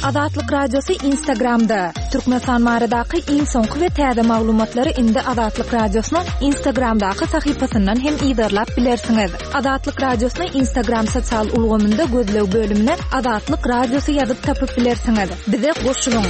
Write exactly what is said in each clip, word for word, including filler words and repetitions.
Azatlyk Radiosy Instagramda. Türkmenistan baradaky iň soňky we täze maglumatlary indi Azatlyk Radiosynyň Instagramdaky sahypasyndan hem yzarlap bilersiňiz. Azatlyk Radiosyny Instagram sosial ulgamynda gözleg bölümine Azatlyk Radiosy ýazyp tapyp bilersiňiz. Bize goşulyň.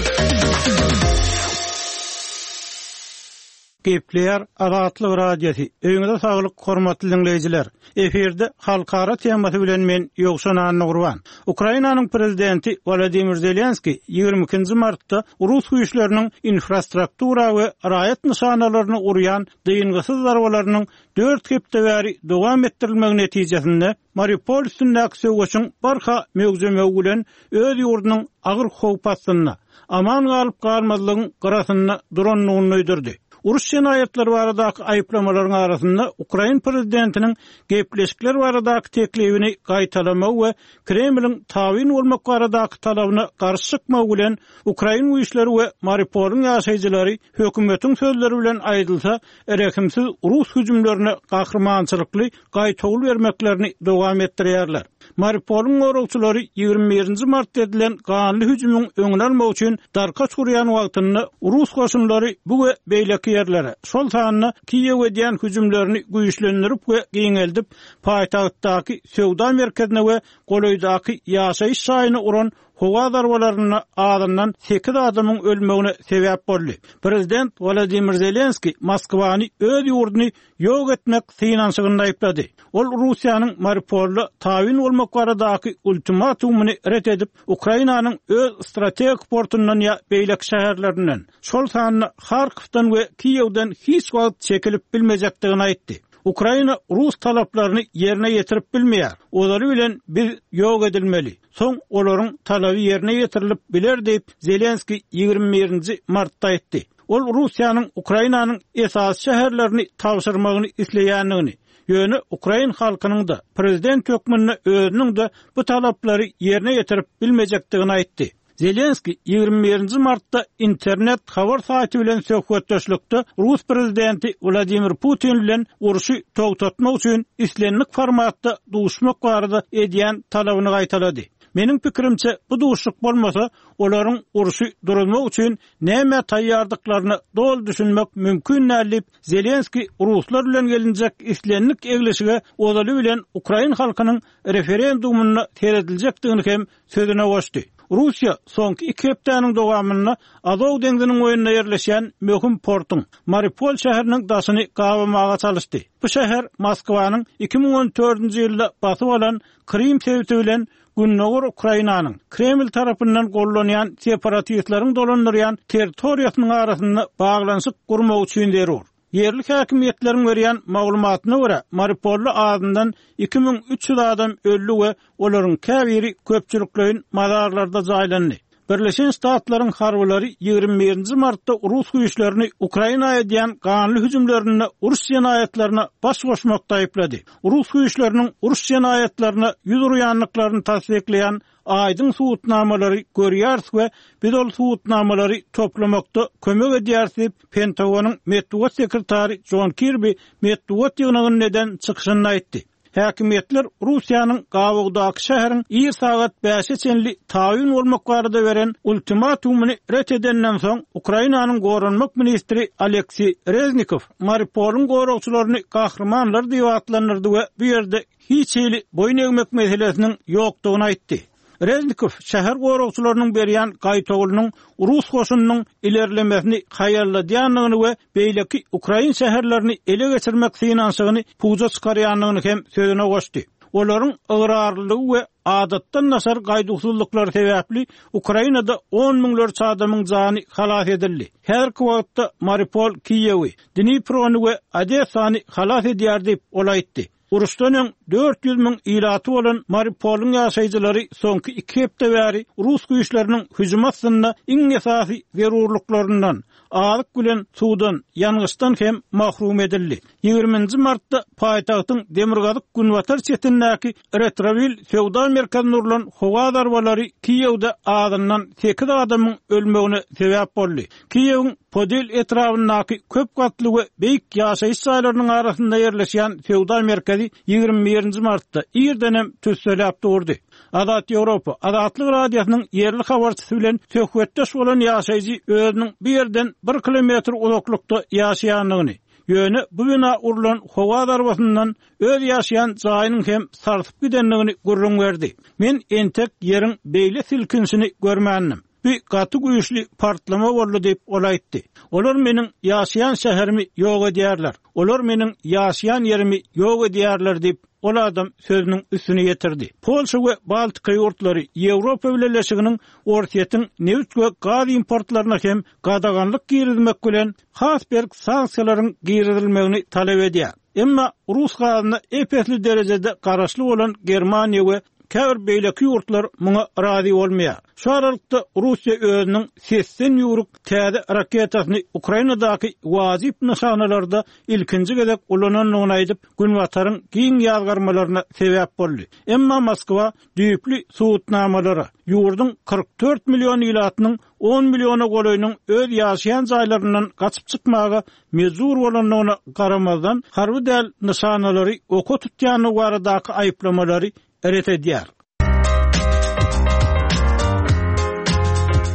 Gepleýär Azatlyk Radiosy. Öýüňize saglyk, hormatly dinleýjiler. Efirde halkara temasy bilen men Ýowşan Annagurban. Ukrainanyň prezidenti Wladimir Zelenski ýigrimi ikinji martda Rus güýçleriniň infrastruktura we raýat nyşanalaryny urýan dyngysyz zarbalarynyň dört hepde bäri dowam etdirilmegi netijesinde Mariupol üstündäki söweşiň barha möwjemegi bilen öz ýurdunyň agyr howp astynda, aman galyp galmazlygyň gyrasynda durandygyny duýdurdy. Uruş jenaýatlary baradaky aýyplamalaryň arasynda Ukrain prezidentiniň gepleşikler baradaky teklibini gaýtalamagy we Kremliň tabyn bolmak baradaky talabyna garşy çykmagy bilen Ukrain güýçleri we Mariupolyň ýaşaýjylary hökümetiň sözleri bilen aýdylsa, rehimsiz rus hüjümlerine gahrymançylykly gaýtawul bermeklerini dowam etdirýärler. Mariupolyň goragçylary ýigrimi birinji martda edilen ganly hüjümiň öňüni almak üçin darkaç gurýan wagtynda rus goşunlary bu we beýleki ýerlere, şol sanda Kiýew edýän hüjümlerini güýçlendirip we giňeldip, paýtagtdaky söwda merkezine we golaýdaky ýaşaýyş jaýyna uran howa zarbalarynda azyndan sekiz adamyň ölmegine sebäp boldy. Prezident Wladimir Zelenski Moskwany öz ýurduny ýok etmek synanyşygynda aýyplady. Ol Russiýanyň Mariupolda tabyn bolmak baradaky ultimatumyny ret edip, Ukrainanyň öz strategik portundan ýa beýleki şäherlerinden, şol sanda Harkowdan we Kiýewden hiç wagt çekilip bilmejekdigini aýtdy. Ukraina rus talaplaryny ýerine ýetirip bilmeýär. Ozaly bilen biz ýok edilmeli. Soň olaryň talaby ýerine ýetirilip biler diýip Zelenski ýigrimi birinji martda aýtdy. Ol Russiýanyň Ukrainanyň esasy şäherlerini tabşyrmagyny isleýändigini, ýöne ukrain halkynyň da prezident hökmünde özüniň de bu talaplary ýerine ýetirip bilmejekdigini aýtdy. Zelenski ýigrimi birinji martda internet habar saýty bilen söhbetdeşlikde Rus prezidenti Wladimir Putin bilen urşy togtatmak üçin islendik formatda duşmak barada edýän talabyny gaýtalady. Meniň pikirimçe bu duşluk bolmasa, olaryň urşy durmak üçin näme taýýardyklaryny doly düşünmek mümkin däl diýip, Zelenski ruslar bilen gelinjek islendik eglişige ozaly bilen ukrain halkynyň referendumyna serediljekdigini hem sözüne goşdy. Russiýa soňky iki hepdäniň dowamynda Azow deňziniň boýunda ýerleşýän möhüm portuň Mariupol şäheriniň daşyny gabamaga çalyşdy. Bu şäher Moskwanyň iki müň on dördünji ýylda basyp alan Krym sebiti bilen Gündogar Ukrainanyň Kreml tarapyndan gollanýan separatistleriň dolandyrýan territoriýasynyň arasynda baglanyşyk gurmak üçin zerur. Ýerli häkimiýetleriň berýän maglumatyna görä, Mariupolda azyndan iki müň üç ýüz adam öldi we olaryň käbiri köpçülikleýin mazarlarda jaýlandy. Birleşen Ştatlaryň harbylary ýigrimi birinji martda rus güýçlerini Ukraina edýän ganly hüjümlerinde uruş jenaýatlaryna baş goşmakda aýyplady. Rus güýçleriniň uruş jenaýatlaryna ýüz urýandyklaryny tassyklaýan aýdyň subutnamalary görýäris we biz ol subutnamalary toplamakda kömek edýäris diýip, Pentagonyň metbugat sekretary John Kirby metbugat ýygnagynda eden çykyşynda aýtdy. Häkimiýetler Russiýanyň Gabogdaky şäheriň ir sagat bäşe çenli tabyn bolmak barada beren ultimatumyny ret edenden soň Ukrainanyň goranmak ministri Aleksiý Reznikow Mariupolyň goragçylaryny gahrymanlar diýip atlandyrdy we bu ýerde hiç hili boýun egmek meselesiniň ýokdugyny aýtdy. Reznikow şäher goragçylarynyň berýän gaýtawulynyň rus goşunynyň ilerlemesini haýalladýandygyny we beýleki ukrain şäherlerini ele geçirmek synanyşygyny puja çykarýandygyny hem sözüne goşdy. Olaryň ygrarlylygy we adatdan daşary gaýduwsyzlyklary sebäpli Ukrainada on müňlerçe adamyň jany halas edildi. Häzirki wagtda Mariupol Kiýewi, Dniprony we Odessany halas edýär diýip ol aýtdy. Uruşdan öň dört ýüz müň ilaty bolan Mariupolyň ýaşaýjylary soňky iki hepde bäri rus güýçleriniň hüjümi astynda iň esasy zerurlyklaryndan, azyk bilen suwdan, ýangyçdan hem mahrum edildi. Ýigriminji martda paýtagtyň demirgazyk günbatar çetindäki Retrovil söwda merkezinde urlan howa zarbalary Kiýewde azyndan sekiz adamyň ölmegine sebäp boldy. Kiýewiň Podil etrabyndaky köp gatly we beýik ýaşaýyş jaýlarynyň arasynda ýerleşýän söwda merkezi merkezi ýigrimi birinji martda irdenem tüsseläp durdy. Azat Ýewropa, Azatlyk Radiosynyň ýerli habarçysy bilen söhbetdeş bolan ýaşaýjy özüniň bu ýerden bir kilometr uzaklykda ýaşaýandygyny, ýöne bu bina urlan howa zarbasyndan öz ýaşaýan jaýynyň hem sarsyp gidendigini gürrüň berdi. Men entek ýeriň beýle silkinişini görmändim. Bu gaty güýçli partlama boldy diýip ol aýtdy. Olar meniň ýaşaýan şäherimi ýok edýärler. Olar meniň ýaşaýan ýerimi ýok edýärler diýip ol adam sözüniň üstüne ýetirdi. Polşa we Baltika ýurtlary Ýewropa Bileleşiginiň Orsýetiň neft we gaz importlaryna hem gadaganlyk girizmek bilen has berk sanksiýalaryň girizilmegini talap edýär. Emma Rus gazyna epesli derejede garaşly bolan Germaniýa we käbir beýleki ýurtlar muňa razy bolmaýar. Şu aralykda Russiýa özüniň sesden ýüwrük täze raketasyny Ukrainadaky wajyp nyşanalarda ilkinji gezek ulanandygyny aýdyp, Günbataryň giň ýazgarmalaryna sebäp boldy. Emma Moskwa düýpli subutnamalara, ýurduň kyrk dört million ilatynyň on milliona golaýynyň öz ýaşaýan jaýlaryndan gaçyp çykmaga mejbur bolandygyna garamazdan, harby däl nyşanalary oka tutýandygy baradaky aýyplamalary ret edýär.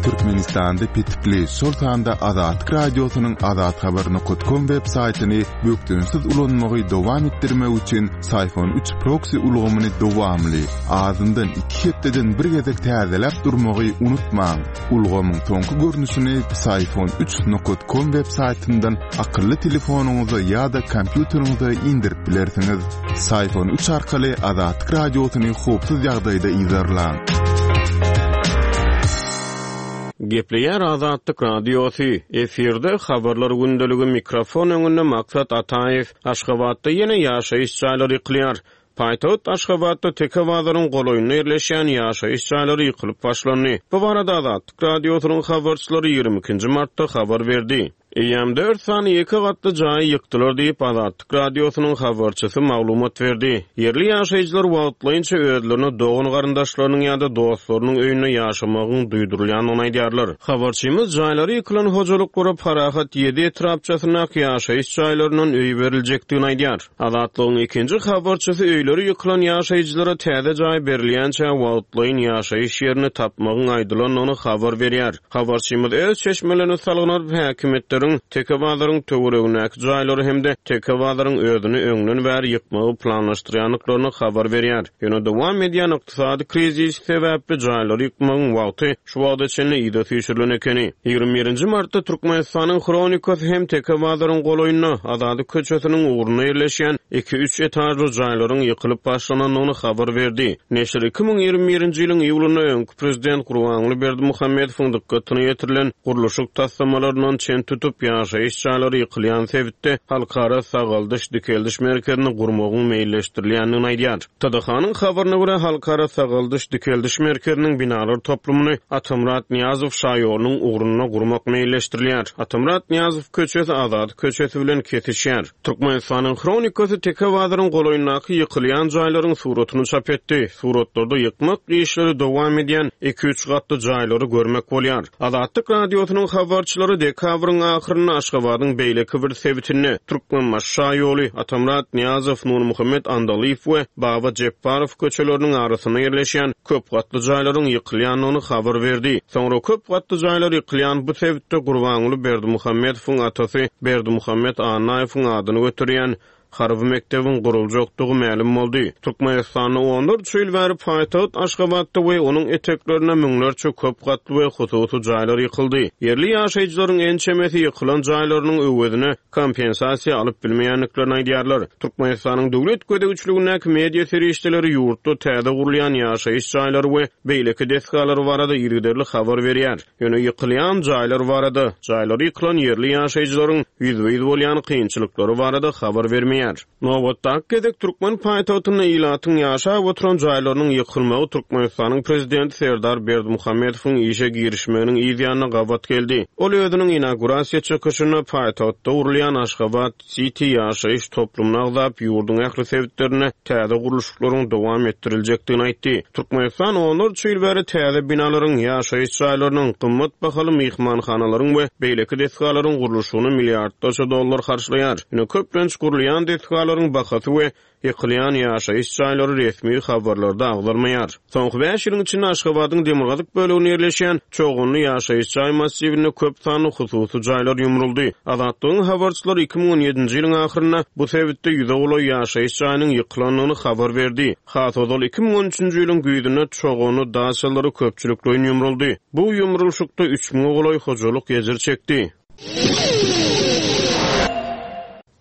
Türkmenistanda petikli, şol sanda Azatlyk Radiosynyň azathabar nokta com web saýtyny bökdençsiz ulanmagy dowam etdirmek üçin Syfon üç proxy ulgamyny dowamly, azyndan iki hepdeden bir gezek täzeläp durmagy unutmaň. Ulgamyň soňky görnüşini Syfon üç nokta com web saýtyndan akylly telefonyňyza ýa-da kompýuteriňize indirip bilersiňiz. Syfon üç arkaly Azatlyk Radiosyny howpsuz ýagdaýda yzarlaň. Gepleýär Azatlyk Radiosy. Efirde habarlar gündeligi mikrofon öňünde Maksat Ataýew. Aşgabatda ýene ýaşaýyş jaýlary ýykylýar. Paýtagt Aşgabatda Teke bazaryň golaýynda ýerleşýän ýaşaýyş jaýlary ýykylyp başlandy. Bu barada Azatlyk Radiosynyň habarçylary ýigrimi ikinji martda habar berdi. Eýýäm dört sany ýeke gatly jaýy ýykdylar diýip Azatlyk Radiosynyň habarçysy maglumat berdi. Ýerli ýaşaýjylar wagtlaýynça özlerine dogan garyndaşlarynyň ýa-da dostlarynyň öýünde ýaşamagyň duýdurylýandygyny aýdýarlar. Habarçymyz jaýlary ýykylan hojalyklara Parahat ýedi etrapçasyndaky ýaşaýyş jaýlaryndan öý beriljekdigini aýdýar. Azatlygyň ikinji habarçysy öýleri ýykylan ýaşaýjylara täze jaý berilýänçä wagtlaýyn ýaşaýyş ýerini tapmagyň aýdylandygyny habar berýär. Habarçymyz öz çeşmelerini salgylanyp häkimiýetleriň Teke bazaryň töweregindäki jaýlary hem-de Teke bazaryň özüni öňden bäri ýykmagy planlaşdyrýandyklaryny habar berýär. Ýöne dowam edýän ykdysady krizis sebäpli jaýlary ýykmagyň wagty şu wagta çenli ýyda süýşürilen ekeni. Ýigrimi birinji martda Türkmenistanyň Hronikasy hem Teke bazaryň golaýynda Azady köçesiniň ugrunda ýerleşýän iki-üç etažly jaýlaryň ýykylyp başlanandygyny habar berdi. Neşir iki müň ýigrimi birinji ýylyň iýulynda öňki prezident Gurbanguly Berdimuhamedowyň dykgatyna ýetirilen gurluşyk taslamalaryndan çen tutup ýaşaýyş jaýlary ýykylýan sebitde halkara sagaldyş dikeldiş merkezini gurmagyň meýilleşdirilýändigini aýdýar. T D H-nyň habaryna görä halkara sagaldyş dikeldiş merkeziniň binalar toplumyny Atamyrat Nyýazow şaýolunyň ugrunda gurmak meýilleşdirilýär. Atamyrat Nyýazow köçesi Azady köçesi bilen kesişýär. Türkmenistanyň Hronikasy Teke bazaryň golaýyndaky ýykylýan jaýlaryň suratyny çap etdi. Suratlarda ýykmak işleri dowam edýän iki-üç gatly jaýlary görmek bolýar. Azatlyk Radiosynyň habarçylary dekabryň ahyrynda Aşgabadyň beýleki bir sebitinde Türkmenbaşy şaýoly, Atamyrat Nyýazow, Nurmuhammet Andalyýew we Baba Jepbarow köçeleriniň arasynda ýerleşýän köp gatly jaýlaryň ýykylýandygyny habar berdi. Soňra köp gatly jaýlar ýykylýan bu sebitde Gurbanguly Berdimuhamedowyň atasy Berdimuhamet Annaýewiň adyny göterýän harby mekdebiň guruljakdygy mälim boldy. Türkmenistanda onlarça ýyl bäri paýtagt Aşgabatda we onuň eteklerinde müňlerçe köp gatly we hususy jaýlar ýykyldy. Ýerli ýaşaýjylaryň ençemesi ýykylan jaýlarynyň öwezine kompensasiýa alyp bilmeýändiklerini aýdýarlar. Türkmenistanyň döwlet gözegçiligindäki media serişdeleri ýurtda täze gurulýan ýaşaýyş jaýlary we beýleki desgalar barada yzygiderli habar berýär. Ýöne ýykylýan jaýlar barada, jaýlary ýykylan ýerli ýaşaýjylaryň ýüzbe-ýüz bolýan kynçylyklary barada habar bermeýär. Nobatdaky gezek türkmen paýtagtynda ilatyň ýaşap oturan jaýlarynyň ýykylmagy Türkmenistanyň prezidenti Serdar Berdimuhamedowyň işe girişmeginiň yz ýanyna gabat geldi. Ol özüniň inaugurasiýa çykyşynda paýtagtda gurulýan Aşgabat City ýaşaýyş toplumyny agzap, ýurduň ähli sebitlerinde täze gurluşyklaryň dowam etdiriljekdigini aýtdy. Türkmenistan onlarça ýyl bäri täze binalaryň, ýaşaýyş jaýlarynyň, gymmat bahaly myhmanhanalaryň we beýleki desgalaryň gurluşygyna milliardlarça dollar harçlaýar. Ýöne köplenç gurulýan desgalaryň bahasy we ýykylýan ýaşaýyş jaýlary resmi habarlarda agzalmaýar. Soňky bäş ýylyň içinde Aşgabadyň demirgazyk böleginde ýerleşýän Çoganly ýaşaýyş jaý massiwinde köp sanly hususy jaýlar ýumruldy. Azatlygyň habarçylary iki müň on ýedinji ýylyň ahyrynda bu sebitde ýüze golaý ýaşaýyş jaýynyň ýykylandygyny habar berdi. Has ozal iki müň on üçünji ýylyň güýzünde Çoganly daçalary köpçülikleýin ýumruldy. Bu ýumrulşykda üç müňe golaý hojalyk ejir çekdi.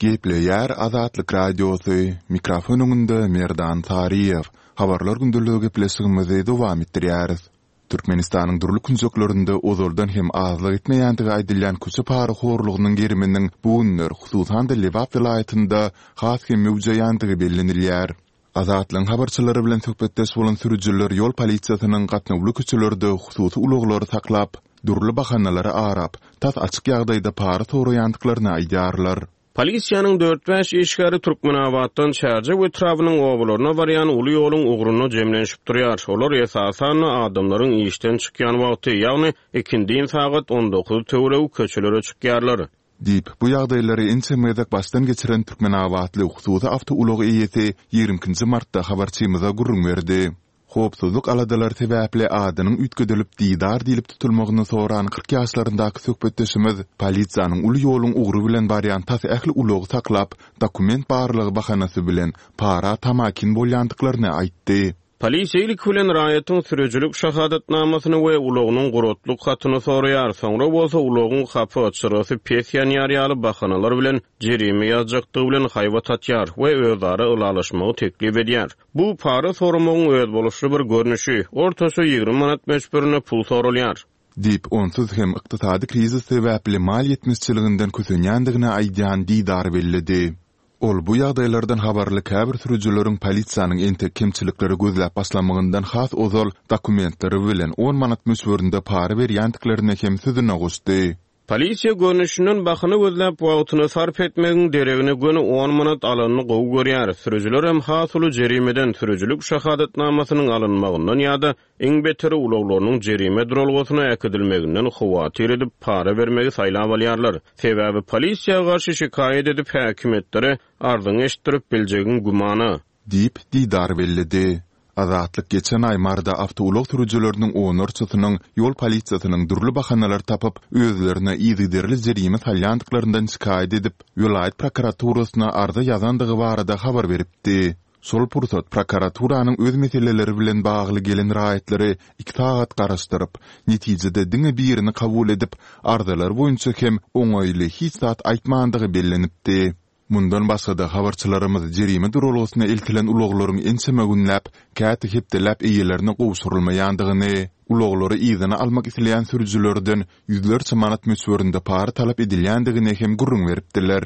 Gepleýär Azatlyk Radiosy, mikrofon öňünde Merdan Saryýew. Habarlar gündeligi gepleşigimizi dowam etdirýäris. Türkmenistanyň dürli künjeklerinde ozaldan hem azlyk etmeýändigi aýdylýan köçe parahorlugynyň geriminiň bu günler, hususan-da Lebap welaýatynda has hem möwjeýändigi bellenilýär. Azatlygyň habarçylary bilen söhbetdeş bolan sürüjiler ýol polisiýasynyň gatnawly köçelerde hususy ulaglary saklap, dürli bahanalary arap, tas açyk ýagdaýda para soraýandyklaryny aýdýarlar. Polisiýanyň dört-bäş işgäri Türkmenabatdan Çärjew etrabynyň obalaryna barýan uly ýoluň ugrunda jemlenişip durýar. Olar esasan-da adamlaryň işden çykýan wagty, ýagny ikindin sagat on dokuz töweregi köçelere çykýarlar. Diýip, bu ýagdaýlary ençeme gezek başdan geçiren türkmenabatly hususy awtoulag eýesi ýigrimi ikinji martda habarçymyza gürrüň berdi. Howpsuzlyk aladalary sebäpli adynyň üýtgedilip Didar diýlip tutulmagyny soran kyrk ýaşlaryndaky söhbetdeşimiz polisiýanyň uly ýoluň ugry bilen barýan tas ähli ulagy saklap, dokument barlygy bahanasy bilen para tamakin bolýandyklaryny aýtdy. Polisiýa ilki bilen raýatyň sürüjilik şahadatnamasyny we ulagynyň guratlyk hatyny soraýar, soňra bolsa ulagyň hapa, çyrasy pes ýanýar ýaly bahanalar bilen jerime ýazjakdygy bilen haýbat atýar we özara ylalaşmagy teklip edýär. Bu para soramagyň özboluşly bir görnüşi, ortaça ýigrimi manat möçberinde pul soralýar. Diýip, onsuz hem ykdysady krizis sebäpli mal ýetmezçiliginden kösenýändigini aýdýan Didar belledi. Ol bu ýagdaýlardan habarly käbir sürüjileriň polisiýanyň entek kemçilikleri gözläp başlamagyndan has ozal dokumentleri bilen on manat möçberinde para berýändiklerini hem sözüne goşdy. Polisiýa görnüşinden bahana gözläp wagtyny sarp etmegiň deregine göni on manat alanyny gowy görýär. Sürüjiler hem has uly jerimeden sürüjilik şahadatnamasynyň alynmagyndan ýa-da iň beteri ulaglarynyň jerime duralgasyna äkidilmeginden howatyr edip para bermegi saýlap alýarlar. Sebäbi polisiýa garşy şikaýat edip häkimiýetlere arzyňy eşitdirip biljegiň gümana. Diýip Didar belledi. Azatlyk geçen aý Marda awtoulag sürüjileriniň onlarçasynyň ýol polisiýasynyň dürli bahanalar tapyp, özlerine yzygiderli jerime salýandyklaryndan şikaýat edip, welaýat prokuraturasyna arza ýazandygy barada habar beripdi. Şol pursat prokuraturanyň öz meseleleri bilen bagly gelen raýatlary iki sagat garaşdyryp, netijede diňe birini kabul edip, arzalar boýunça hem oňaýly hiç zat aýtmandygy bellenipdi. Mundan başga-da habarçylarymyz jerime duralgasyna eltilen ulaglaryň ençeme günläp, käte hepdeläp eýelerine gowşurylmaýandygyny, ulaglary yzyna almak isleýän sürüjilerden ýüzlerçe manat möçberinde para talap edilýändigini hem gürrüň beripdiler.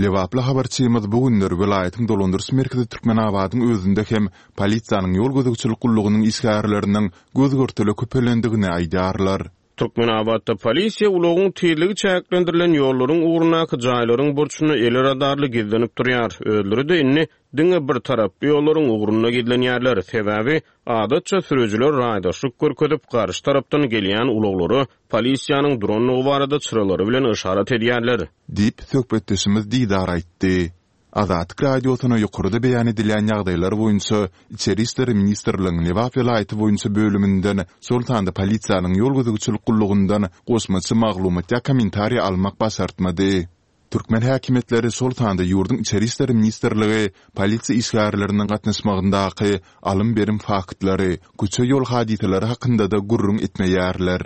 Lebaply habarçymyz bu günler welaýatyň dolandyryş merkezi Türkmenabadyň özünde hem polisiýanyň ýol gözegçilik gullugynyň işgärleriniň göz-görtele köpelendigini aýdýarlar. Türkmenabatda polisiýa ulagyň tizligi çäklendirilen ýollaryň ugrundaky jaýlaryň burçunda el radarly gizlenip durýar. Özleri-de indi diňe bir taraply ýollaryň ugrunda gizlenýärler. Sebäbi adatça sürüjiler raýdaşlyk görkezip garşy tarapdan gelýän ulaglara polisiýanyň durandygy barada çyralary bilen yşarat edýärler. Diýip söhbetdeşimiz Didar aýtdy. Azatlyk Radiosyna ýokarda beýan edilýän ýagdaýlar boýunça Içeri işler ministrligiň Lebap welaýaty boýunça bölüminden, şol sanda polisiýanyň ýol gözegçilik gullugyndan goşmaça maglumat ýa kommentariý almak başartmady. Türkmen häkimiýetleri, şol sanda ýurduň Içeri işler ministrligi polisiýa işgärleriniň gatnaşmagyndaky alym-berim faktlary, köçe ýol hadysalary hakynda-da gürrüň etmeýärler.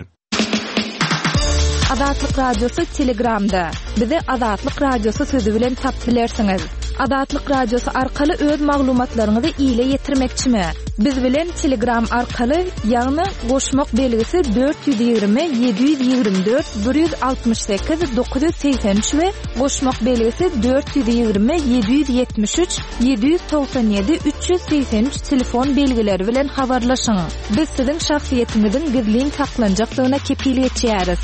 Azatlyk Radiosy Telegramda. Bizi Azatlyk Radiosy sözi bilen tapyp bilersiňiz. Azatlyk Radiosy arkaly öz maglumatlaryňyzy ile ýetirmekçimi? Biz bilen Telegram arkaly, ýagny goşmak belgisi dört ýüz ýigrimi, ýedi ýüz ýigrimi dört, bir ýüz altmyş sekiz, dokuz ýüz segsen üç we goşmak belgisi dört ýüz ýigrimi, ýedi ýüz ýetmiş üç, ýedi ýüz togsan ýedi, üç ýüz segsen üç telefon belgileri bilen habarlaşyň. Biz siziň şahsyýetiňiziň gizlin saklanjakdygyna kepil geçýäris.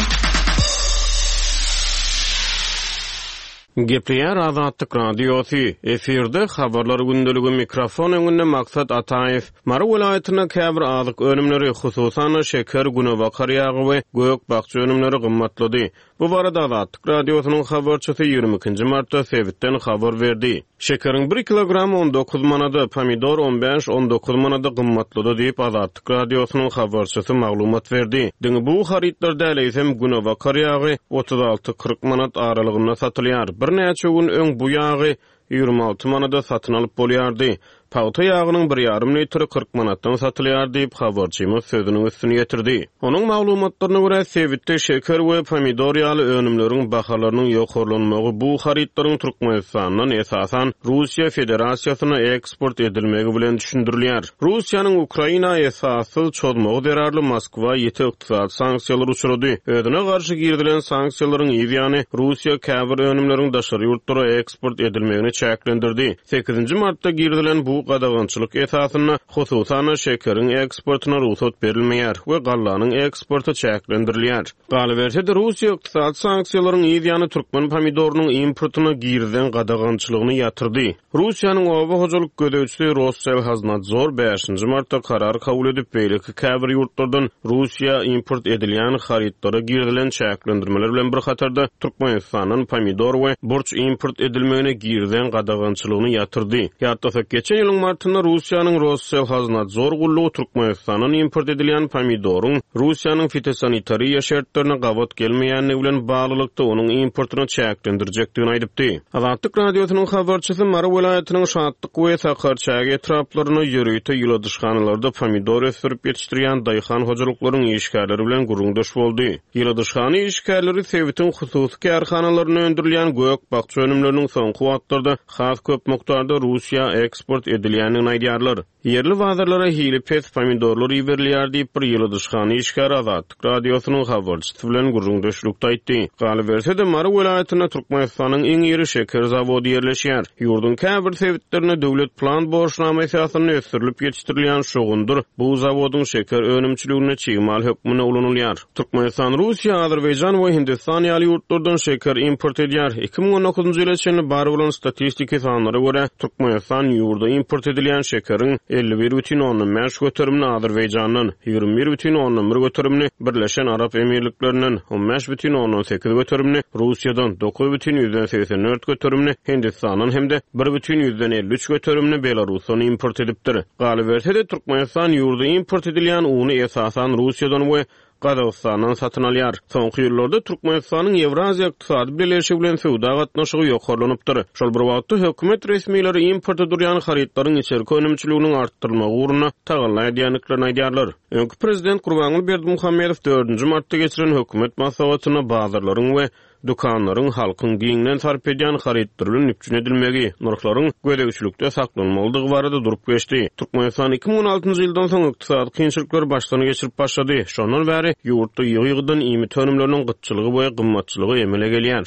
Gepleýär Azatlyk Radiosy, efirde Habarlar gündeligi, mikrofon öňünde Maksat Ataýew. Mary welaýatynda käbir azyk önümleri, hususan-da, şeker, günebakar ýagy we gök-bakja önümleri gymmatlady. Bu barada Azatlyk Radiosynyň habarçysy ýigrimi ikinji martda sebitden habar berdi. Şekeriň bir kilogramy on dokuz manada, pomidor on bäş, on dokuz manada gymmatlady diýip, Azatlyk Radiosynyň habarçysy maglumat berdi. Diňe bu harytlar däl, eýsem, günebakar ýagy otuz alty, kyrk manat aralygynda satylýar. Birnäçe gün öň bu ýagy ýigrimi alty manada satyn alyp bolýardy. Pagta ýagynyň bir ýarym litri kyrk manatdan satylýar diýip, habarçymyz sözüniň üstüni ýetirdi. Onuň maglumatlaryna görä, sebitde şeker we pomidor ýaly önümleriň bahalarynyň ýokarlanmagy bu harytlaryň Türkmenistandan esasan Russiýa Federasiýasyna eksport edilmegi bilen düşündirilýär. Russiýanyň Ukraina esassyz çozmagy zerarly Moskwa ýiti ykdysady sanksiýalar uçurdy. Özüne garşy girizilen sanksiýalaryň yz ýany Russiýa käbir önümleriň daşary ýurtlara eksport edilmegini çäklendirdi. Sekizinji martda girizilen bu gadagançylyk esasynda hususan şekeriň eksportyna rugsat berilmeýär we gallanyň eksporty çäklendirilýär. Galyberse-de Russiýa ykdysady sanksiýalaryň yz ýany türkmen pomidorynyň importyna girizilen gadagançylygyny ýatyrdy. Russiýanyň oba hojalyk gözegçisi Rosselhaznadzor bäşinji martda karar kabul edip, beýleki käbir ýurtlardan Russiýa import edilýän harytlara girizilen çäklendirmeler bilen bir hatarda Türkmenistandan pomidor we burç import edilmegine girizilen gadagançylygyny ýatyrdy. Ýatlasak, geçen ýylyň martynda Russiýanyň Rosselhaznadzor gullugy Türkmenistandan import edilýän pomidoryň Russiýanyň fitosanitariýa şertlerine gabat gelmeýändigi bilen baglylykda onuň importyny çäklendirjekdigini aýdypdy. Azatlyk Radiosynyň habarçysy Mary welaýatynyň Şatlyk we Sakarçäge etraplarynda ýörite ýyladyşhanalarda pomidor ösdürip ýetişdirýän daýhan hojalyklaryň işgärleri bilen gürrüňdeş boldy. Ýyladyşhana işgärleri sebitiň hususy kärhanalarynda öndürilýän gök-bakja önümleriniň soňky wagtlarda has köp mukdarda Russiýa eksport edilýändigini aýdýarlar. Ýerli bazarlara hili pes pomidorlar iberilýär diýip bir ýyladyşhana işgäri Azatlyk Radiosynyň habarçysy bilen gürrüňdeşlikde aýtdy. Galyberse-de Mary welaýatynda Türkmenistanyň iň iri şeker zawody ýerleşýär. Ýurduň käbir sebitlerinde döwlet plan borçnama esasynda ösdürilip ýetişdirilýän şogundyr bu zawodyň şeker önümçiliginde çig mal hökmünde ulanylýar. Türkmenistan, Russiýa, Azerbaýjan we Hindistan ýaly ýurtlardan şeker import edýär. Iki müň on dokuzynjy ýyla çenli bar bolan statistiki sanlara görä Türkmenistan ýurda import edilýän şekeriň elli bir bütin ondan bäş göterimini Azerbaýjandan, ýigrimi bir bütin ondan bir göterimini Birleşen Arap Emirliklerinden, on bäş bütin ondan sekiz göterimini Russiýadan, dokuz bütin ýüzden segsen dört göterimini Hindistandan hem-de bir bütin ýüzden elli üç göterimini Belarusdan import edipdir. Galyberse-de Türkmenistan ýurda import edilýän uny esasan Russiýadan we Gazagystandan satyn alýar. Soňky ýyllarda Türkmenistanyň Ýewraziýa Ykdysady Bileleşigi bilen söwda gatnaşygy ýokarlanypdyr. Şol bir wagtda hökümet resmileri importa durýan harytlaryň içerki önümçiliginiň artdyrylmagy ugrunda tagalla edýändiklerini aýdýarlar. Öňki prezident Gurbanguly Berdimuhamedow dördünji martda geçiren hökümet maslahatynda bazarlaryň we dükanlaryň halkyň giňden sarp edýän harytlary bilen üpjün edilmegi, nyrhlaryň gözegçilikde saklanmalydygy barada durup geçdi. Türkmenistan iki müň on altynjy ýyldan soň ykdysady kynçylyklary başdan geçirip başlady. Şondan bäri ýurtda ýygy-ýygydan iýmit önümleriniň gytçylygy we gymmatçylygy emele gelýär.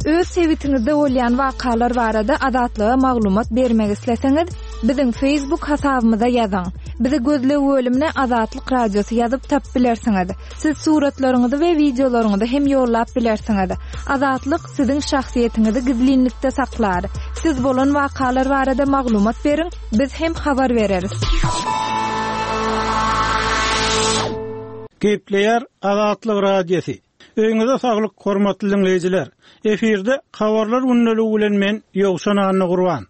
Öz sebitiňizde bolýan wakalar barada Azatlyga maglumat bermek isleseňiz, biziň Facebook hasabymyza ýazyň. Bizi gözleg bölümine Azatlyk Radiosy ýazyp tap bilersiňiz. Siz suratlaryňyzy we wideolaryňyzy hem ýollap bilersiňiz. Azatlyk siziň şahsyýetiňizi gizlinlikde saklar. Siz bolan wakalar barada maglumat beriň, biz hem habar bereris. Gepleýär Azatlyk Radiosy. Öýüňize saglyk, hormatly dinleýjiler. Efirde habarlar gündeligi bilen men Ýowşan Annagurban.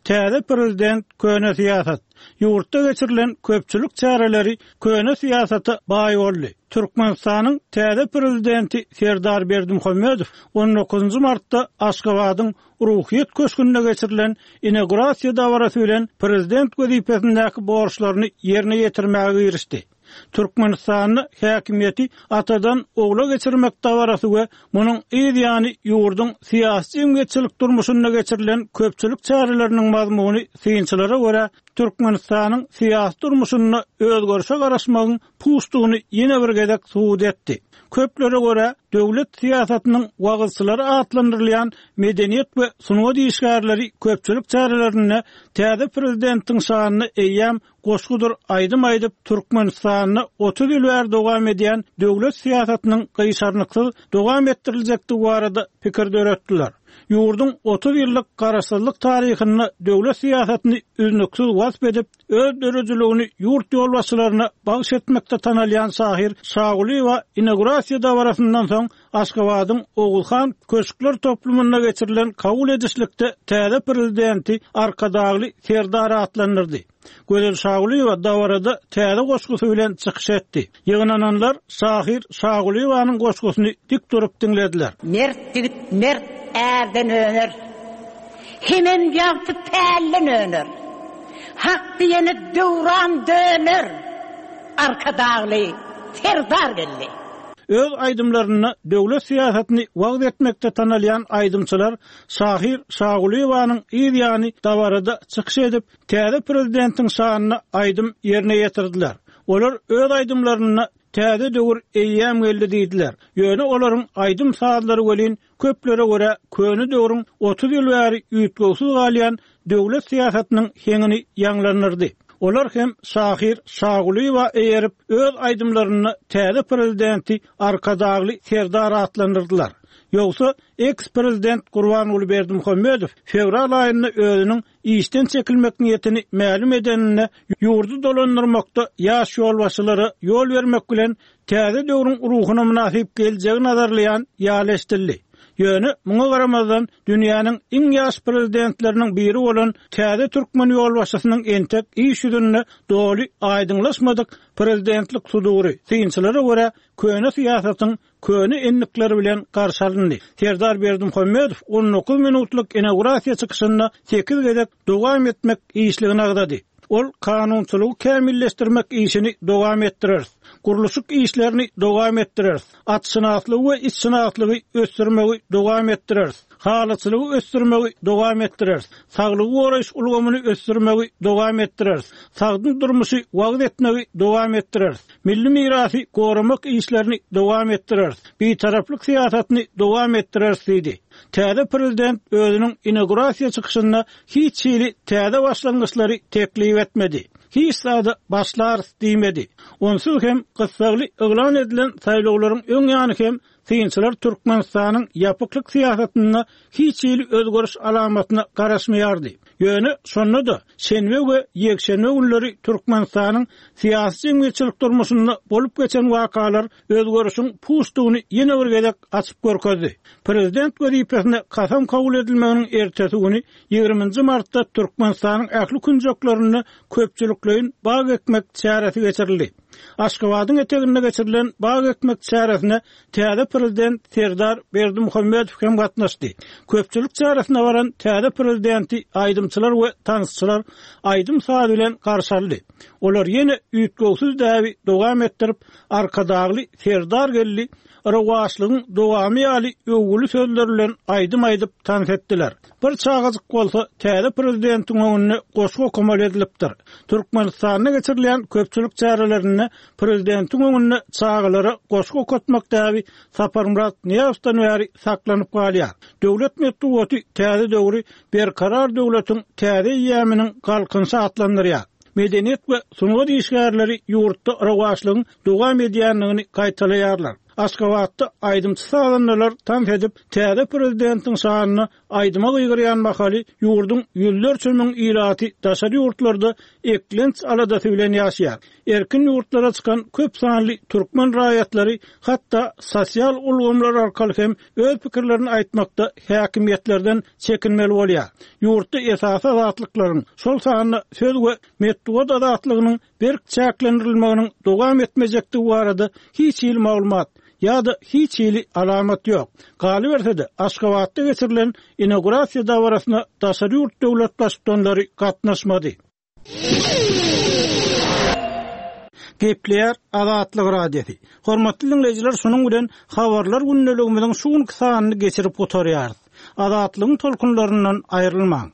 Täze prezident köne syýasat. Ýurtda geçirilen köpçülik çäreleri köne syýasata baý boldy. Türkmenistanyň täze prezidenti Serdar Berdimuhamedow on dokuzynjy martda Aşgabadyň Ruhyýet köşgünde geçirilen inaugurasiýa dabarasy bilen prezident wezipesindäki borçlaryny ýerine ýetirmäge girişdi. Türkmenistanda häkimiýeti atadan ogla geçirmek dabarasy we munuň yz ýany ýurduň syýasy jemgyýetçilik durmuşynda geçirilen köpçülik çäreleriniň mazmuny synçylara görä Türkmenistanyň syýasy durmuşynda özgerişe garaşmagyň puçdugyny ýene bir gezek subut etdi. Köplere görä döwlet syýasatynyň wagyzçylary atlandyrylýan medeniýet we sungat işgärleri köpçülik çärelerinde täze prezidentiň şanyna eýýäm goşgudyr aýdym aýdyp Türkmenistanda otuz ýyl bäri dowam edýän döwlet syýasatynyň gyşarnyksyz dowam etdiriljekdigi barada pikir döretdiler. Ýurduň otuz ýyllyk garaşsyzlyk taryhynda döwlet syýasatyny üznüksiz wasp edip, öz döredijiligini ýurt ýolbaşçylaryna bagyş etmekde tanalýan şahyr Şagulyýewa inaugurasiýa dabarasyndan soň Aşgabadyň Oguzhan köşkler toplumynda geçirilen kabul edişlikde täze prezidenti Arkadagly Serdar atlandyrdy. Gözel Şagulyýewa dabarada täze goşgusy bilen çykyş etdi. Ýygnananlar şahyr Şagulyýewanyň goşgusyny dik durup diňlediler. Mert ýigit mert ärden öner. Hemem ýagty pälden öner. Hak diýene döwran döner. Arkadagly Serdar geldi. Öz aýdymlarynda döwlet syýasatyny wagyz etmekde tanalýan aýdymçylar şahyr Şagulyýewanyň yz ýany dabarada çykyş edip, täze prezidentiň şanyna aýdym ýerine ýetirdiler. Olar öz aýdymlarynda täze döwür eýýäm geldi diýdiler. Ýöne olaryň aýdym sazlary welin köplere görä köne döwrüň otuz ýyl bäri üýtgewsiz galýan döwlet syýasatynyň heňini ýaňlandyrdy. Olar hem şahyr Şagulyýewa eýerip öz aýdymlarynda täze prezidenti Arkadagly Serdar atlandyrdylar. Ýogsa ex-prezident Gurbanguly Berdimuhamedow fewral aýynda özüniň işden çekilmek niýetini mälim edeninde ýurdy dolandyrmakda ýaş ýolbaşçylara ýol bermek bilen täze döwrüň ruhuna mynasyp geljegi nazarlaýan ýaly eşidildi. Ýöne muňa garamazdan dünýäniň iň ýaş prezidentleriniň biri bolan täze türkmen ýolbaşçysynyň entek iş ýüzünde doly aýdyňlaşmadyk prezidentlik sudury synçylara görä köne syýasatyň köne enlikleri bilen garşy alyndy. Serdar Berdimuhamedow on dokuz minutlyk inaugurasiýa çykyşynda sekiz gezek dowam etmek işligini agzady. Ol kanunçylygy kämilleşdirmek işini dowam etdirer. Gurluşyk işlerini dowam etdirer. Atşynaslygy we itşynaslygy ösdürmegi dowam etdirer. Halyçylygy ösdürmegi dowam etdirer. Saglygy goraýyş ulgamyny ösdürmegi dowam etdirer. Sagdyn durmuşy wagyz etmegi dowam etdirer. Milli mirasy goramak işlerini dowam etdirer. Bitaraplyk syýasatyny dowam etdirer diýdi. Täze prezident özüniň inaugurasiýa çykyşynda hiç hili täze başlangyçlary teklip etmedi. Hiç zada başlarys diýmedi. Onsuz hem gyssagly yglan edilen saýlawlaryň öň ýany hem synçylar Türkmenistanyň ýapyklyk syýasatynda hiç hili özgeriş alamatyna garaşmaýardy. Ýöne şonda-da şenbe we ýekşenbe günleri Türkmenistanyň syýasy jemgyýetçilik durmuşynda bolup geçen wakalar özgerişiň puçdugyny ýene bir gezek açyp görkezdi. Prezident wezipesine kasam kabul edilmeginiň ertesi güni ýigriminji martda Türkmenistanyň ähli künjeklerinde köpçülikleýin bag ekmek çäresi geçirildi. Aşgabadyň eteginde geçirilen bag ekmek çäresine täze prezident Serdar Berdimuhamedow hem gatnaşdy. Köpçülik çäresine baran täze prezidenti aýdymçylar we tansçylar aýdym saz bilen garşy aldy. Olar ýene üýtgewsiz däbi dowam etdirip, Arkadagly Serdar geldi, rowaçlygyň dowamy ýaly öwgüli sözler bilen aýdym aýdyp tans etdiler. Bir çagajyk bolsa täze prezidentiň öňünde goşgy okamaly edilipdir. Türkmenistanda geçirilen köpçülik çärelerinde prezidentiň öňünde çagalara goşgy okatmak däbi Saparmyrat Nyýazowdan bäri saklanyp galýar. Döwlet metbugaty täze döwri Berkarar döwletiň täze eýýamynyň galkynyşy atlandyrýar. Medeniýet we sungat işgärleri ýurtda rowaçlygyň dowam edýändigini gaýtalaýarlar. Aşgabatda aýdymçy sazandalar tans edip, täze prezidentiň şanyna aýdyma gygyrýan mahaly ýurduň ýüzlerçe müň ilaty daşary ýurtlarda eklenç aladasy bilen ýaşaýar. Erkin ýurtlara çykan köp sanly türkmen raýatlary hatda sosial ulgamlar arkaly hem öz pikirlerini aýtmakda häkimiýetlerden çekinmeli bolýar. Ýurtda esasy azatlyklaryň, şol sanda söz we metbugat azatlygynyň berk çäklendirilmeginiň dowam etmejekdigi barada hiç hili maglumat ýa-da hiç hili alamat ýok. Galyberse-de Aşgabatda geçirilen inaugurasiýa dabarasyna daşary ýurt döwlet baştutanlary gatnaşmady. Gepleýär Azatlyk Radiosy. Hormatly dinleýjiler, şunuň bilen habarlar gündeligimiziň şu günki sanyny geçirip gutarýarys. Azatlygyň tolkunlaryndan aýrylmaň.